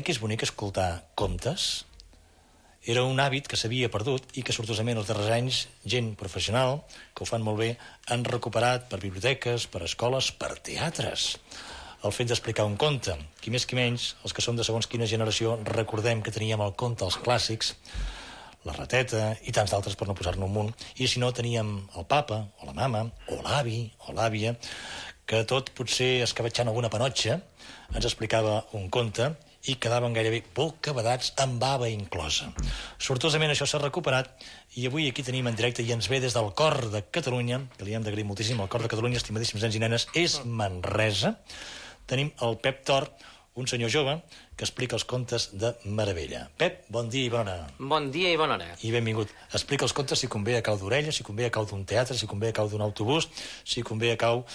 que és bonic escoltar contes? Era un hàbit que s'havia perdut i que, sortosament, els darrers anys, gent professional, que ho fan molt bé, han recuperat per biblioteques, per escoles, per teatres. El fet d'explicar un conte. Qui més qui menys, els que som de segons quina generació, recordem que teníem el conte als clàssics, la rateta i tants d'altres per no posar-ne un munt. I si no, teníem el papa, o la mama, o l'avi, o l'àvia, que tot potser escabetxant alguna panotxa ens explicava un conte i quedaven gairebé bocabadats amb bava inclosa. Sortosament això s'ha recuperat i avui aquí tenim en directe i ens ve des del cor de Catalunya, que li hem d'agrair moltíssim, el cor de Catalunya, estimadíssims nens i nenes, és Manresa. Tenim el Pep Tor, un senyor jove que explica els contes de meravella. Pep, bon dia i bona hora. Bon dia i bona hora. I benvingut. Explica els contes si convé a cau d'orella, si convé a cau d'un teatre, si convé a cau d'un autobús, si convé a cau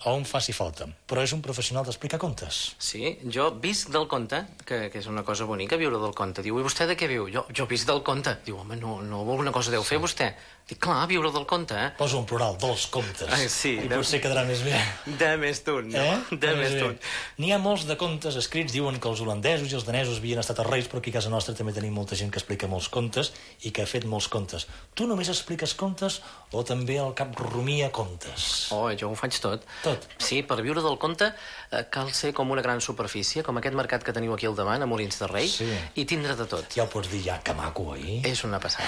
on faci falta. Però és un professional d'explicar contes. Sí, jo visc del conte, que és una cosa bonica, viure del conte. Diu, i vostè de què viu? Jo visc del conte. Diu, home, no alguna cosa deu fer vostè. Dic, clar, viure del conte, eh? Posa un plural, dels contes. Sí. I potser quedarà més bé. De més d'un, no? De més d'un. N'hi ha molts de contes escrits, diuen que els holandesos i els danesos havien estat els reis, però aquí a casa nostra també tenim molta gent que explica molts contes i que ha fet molts contes. Tu només expliques contes o també al cap rumia contes? Oh, jo ho faig tot. Tot? Sí, per viure del conte cal ser com una gran superfície, com aquest mercat que teniu aquí al davant, a Molins de Rei, i tindre de tot. Ja ho pots dir, ja, que maco, oi? És una passada.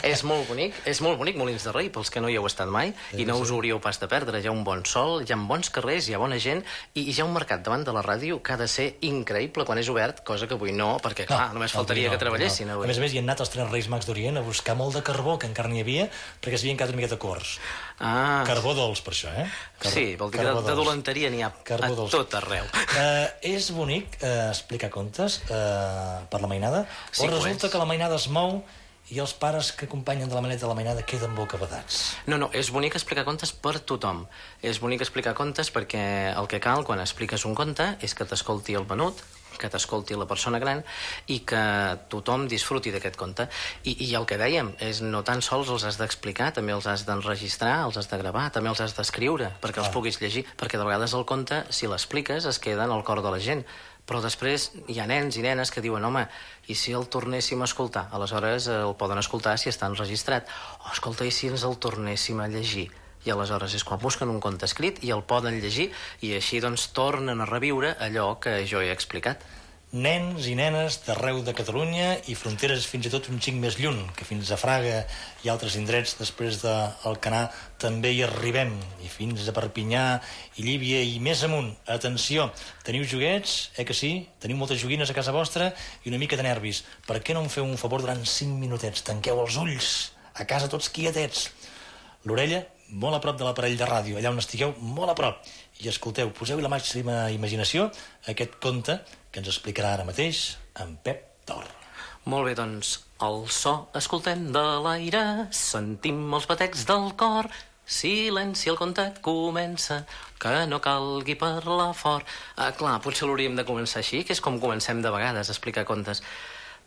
És molt bonic Molins de Rei, pels que no hi heu estat mai, i no us ho hauríeu pas de perdre. Hi ha un bon sol, hi ha bons carrers, hi ha bona gent, i hi ha un mercat davant de la ràdio que ha de ser increïble quan és obert, cosa que avui no, perquè, clar, només faltaria que treballessin avui. A més, hi han anat els 3 Reis Mags d'Orient a buscar molt de carbó, que encara n'hi havia, perquè s'havien quedat una miqueta curts. Carbó dolç, per això, eh? Sí, vol dir que de dolenteria n'hi ha a tot arreu. És bonic explicar contes per la mainada? O resulta que la mainada es mou i els pares que acompanyen de la maneta de la mainada queden bocabadats? No, és bonic explicar contes per tothom. És bonic explicar contes perquè el que cal quan expliques un conte és que t'escolti el menut, que t'escolti la persona gran i que tothom disfruti d'aquest conte. I el que dèiem és no tan sols els has d'explicar, també els has d'enregistrar, els has de gravar, també els has d'escriure perquè els puguis llegir, perquè de vegades el conte, si l'expliques, es queda en el cor de la gent. Però després hi ha nens i nenes que diuen, home, i si el tornéssim a escoltar? Aleshores el poden escoltar si està enregistrat. O, escolta, i si ens el tornéssim a llegir? I aleshores és quan busquen un conte escrit i el poden llegir i així doncs tornen a reviure allò que jo he explicat. Nens i nenes d'arreu de Catalunya i fronteres fins i tot un xic més lluny, que fins a Fraga i altres indrets després d'Alcanar també hi arribem, i fins a Perpinyà i Llívia i més amunt. Atenció, teniu joguets, que sí? Teniu moltes joguines a casa vostra i una mica de nervis. Per què no em feu un favor durant 5 minutets? Tanqueu els ulls, a casa tots quietets. L'orella molt a prop de l'aparell de ràdio, allà on estigueu, molt a prop. I escolteu, poseu-hi la màxima imaginació aquest conte que ens explicarà ara mateix en Pep Tor. Molt bé, doncs, el so escoltem de l'aire, sentim els batecs del cor, silenci, el conte comença, que no calgui parlar fort. Clar, potser l'hauríem de començar així, que és com comencem de vegades a explicar contes.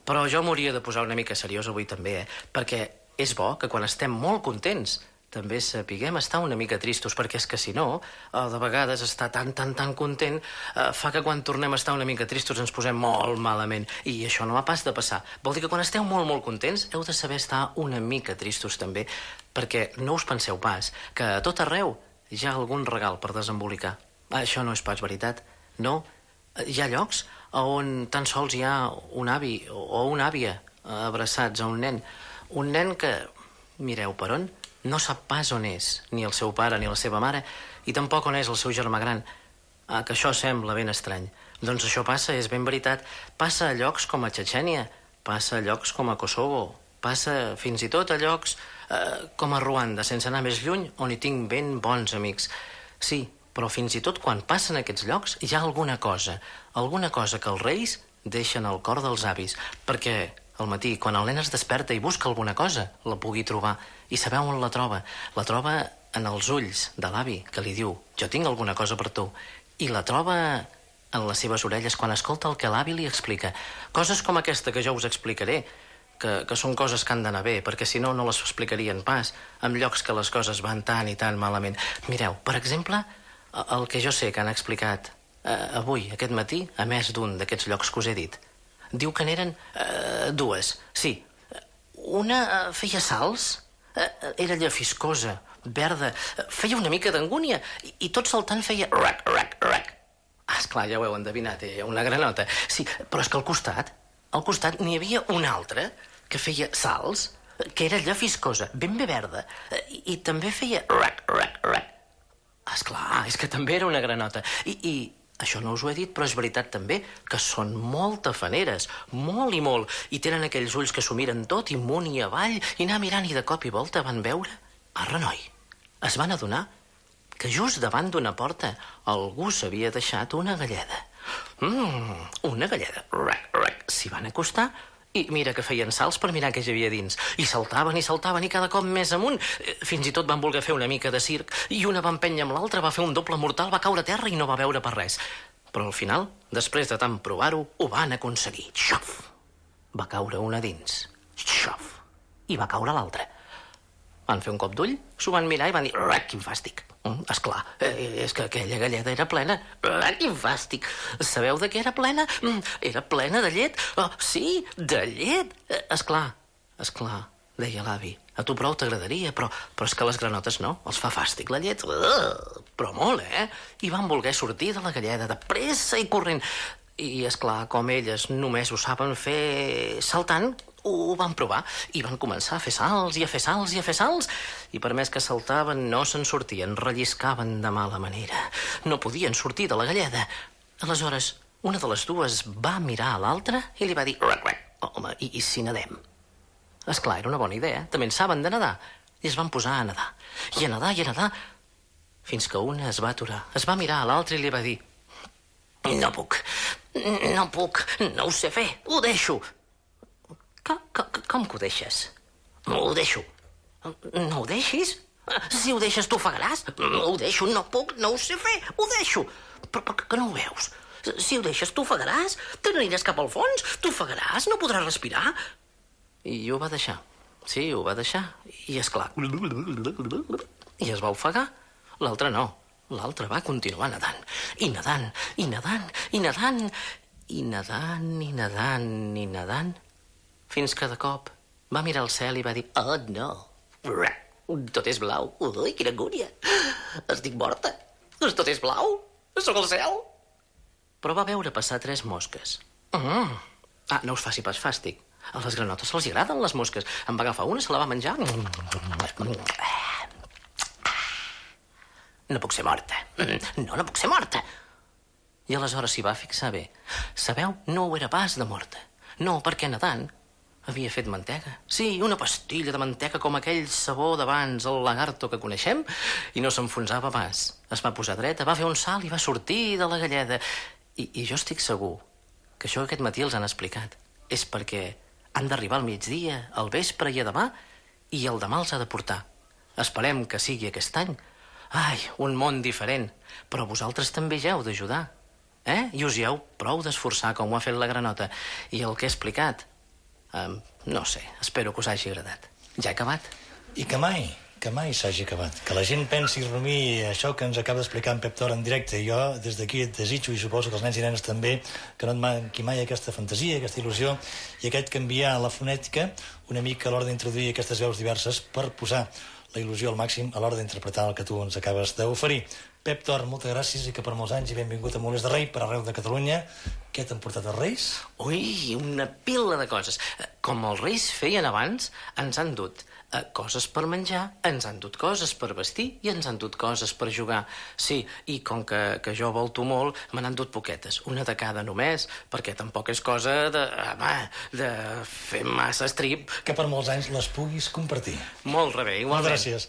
Però jo m'hauria de posar una mica seriós avui també, perquè és bo que quan estem molt contents també sapiguem estar una mica tristos, perquè és que si no, de vegades estar tan content fa que quan tornem a estar una mica tristos ens posem molt malament, i això no ha pas de passar. Vol dir que quan esteu molt contents heu de saber estar una mica tristos també, perquè no us penseu pas que a tot arreu hi ha algun regal per desembolicar. Això no és pas veritat, no. Hi ha llocs on tan sols hi ha un avi o una àvia abraçats a un nen que, mireu per on, no sap pas on és, ni el seu pare ni la seva mare, i tampoc on és el seu germà gran. Que això sembla ben estrany. Doncs això passa, és ben veritat. Passa a llocs com a Txetxènia, passa a llocs com a Kosovo, passa fins i tot a llocs com a Ruanda, sense anar més lluny, on hi tinc ben bons amics. Sí, però fins i tot quan passen aquests llocs hi ha alguna cosa que els reis deixen al cor dels avis, perquè al matí, quan el nen es desperta i busca alguna cosa, la pugui trobar. I sabeu on la troba? La troba en els ulls de l'avi, que li diu, jo tinc alguna cosa per tu. I la troba en les seves orelles quan escolta el que l'avi li explica. Coses com aquesta que jo us explicaré, que són coses que han d'anar bé, perquè si no, no les explicarien pas, en llocs que les coses van tan i tan malament. Mireu, per exemple, el que jo sé que han explicat Avui, aquest matí, a més d'un d'aquests llocs que us he dit. Diu que n'eren dues. Sí, una feia salts, era llefiscosa, verda, feia una mica d'angúnia i tot saltant feia rac, rac, rac. Esclar, ja ho heu endevinat, una granota. Sí, però és que al costat n'hi havia una altra que feia salts, que era llefiscosa, ben bé verda, i també feia rac, rac, rac. Esclar, és que també era una granota. I això no us ho he dit, però és veritat també que són molt tafaneres, molt i molt, i tenen aquells ulls que s'ho miren tot i amunt i avall, i anar mirant i de cop i volta van veure... Renoi, es van adonar que just davant d'una porta algú s'havia deixat una galleda. Una galleda. Rac, rac. S'hi van acostar i mira que feien salts per mirar què hi havia dins. I saltaven i cada cop més amunt. Fins i tot van voler fer una mica de circ i una va empènyer amb l'altra, va fer un doble mortal, va caure a terra i no va veure per res. Però al final, després de tant provar-ho, ho van aconseguir. Xof! Va caure una dins. Xof! I va caure l'altra. Van fer un cop d'ull, s'ho van mirar i van dir rac, quin fàstic. Esclar, és que aquella galleda era plena. Rac, quin fàstic. Sabeu de què era plena? Era plena de llet. Sí, de llet. Esclar, deia l'avi. A tu prou t'agradaria, però és que les granotes no. Els fa fàstic la llet. Però molt, I van voler sortir de la galleda de pressa i corrent. I, esclar, com elles només ho saben fer saltant, ho van provar i van començar a fer salts i a fer salts i a fer salts i per més que saltaven no se'n sortien, relliscaven de mala manera. No podien sortir de la galleda. Aleshores, una de les dues va mirar a l'altra i li va dir rac, rac. Home, i si nedem? Esclar, era una bona idea. També en saben de nedar. I es van posar a nedar. I a nedar, i a nedar, fins que una es va aturar. Es va mirar a l'altra i li va dir no puc, no ho sé fer, ho deixo. Com que ho deixes? Ho deixo. No ho deixis? Si ho deixes t'ofegaràs. Ho deixo, no puc, no ho sé fer, ho deixo. Però que no ho veus? Si ho deixes t'ofegaràs, te n'aniràs cap al fons, t'ofegaràs, no podràs respirar. I ho va deixar. Sí, ho va deixar. I esclar. I es va ofegar. L'altre no. L'altre va continuar nedant. I nedant, i nedant, i nedant, i nedant, i nedant, i nedant, fins que de cop va mirar al cel i va dir oh, no, tot és blau. Ui, quina angúnia. Estic morta. Tot és blau. Sóc al cel. Però va veure passar 3 mosques. No us faci pas fàstic. A les granotes se'ls agraden les mosques. En va agafar una, se la va menjar. No puc ser morta. No puc ser morta. I aleshores s'hi va fixar bé. Sabeu, no ho era pas de morta. No, perquè nedant havia fet mantega. Sí, una pastilla de mantega com aquell sabó d'abans, el lagarto que coneixem, i no s'enfonsava pas. Es va posar dreta, va fer un salt i va sortir de la galleda. I jo estic segur que això aquest matí els han explicat. És perquè han d'arribar al migdia, al vespre i a demà, i el demà els ha de portar. Esperem que sigui aquest any. Ai, un món diferent. Però vosaltres també ja heu d'ajudar. I us hi heu prou d'esforçar com ho ha fet la granota. I el que he explicat, no sé, espero que us hagi agradat. Ja he acabat. I que mai s'hagi acabat. Que la gent pensi i rumiï això que ens acaba d'explicar en Pep Tor en directe. I jo, des d'aquí, et desitjo, i suposo que els nens i nenes també, que no et manqui mai aquesta fantasia, aquesta il·lusió, i aquest canviar la fonètica una mica a l'hora d'introduir aquestes veus diverses per posar la il·lusió al màxim a l'hora d'interpretar el que tu ens acabes d'oferir. Pep Tor, moltes gràcies i que per molts anys i benvingut a Molins de Rei per arreu de Catalunya. Què t'han portat els Reis? Ui, una pila de coses. Com els Reis feien abans, ens han dut coses per menjar, ens han dut coses per vestir i ens han dut coses per jugar. Sí, i com que jo volto molt, me n'han dut poquetes, una de cada només, perquè tampoc és cosa de fer massa estrip. Que per molts anys les puguis compartir. Molt rebé, igualment. Moltes gràcies.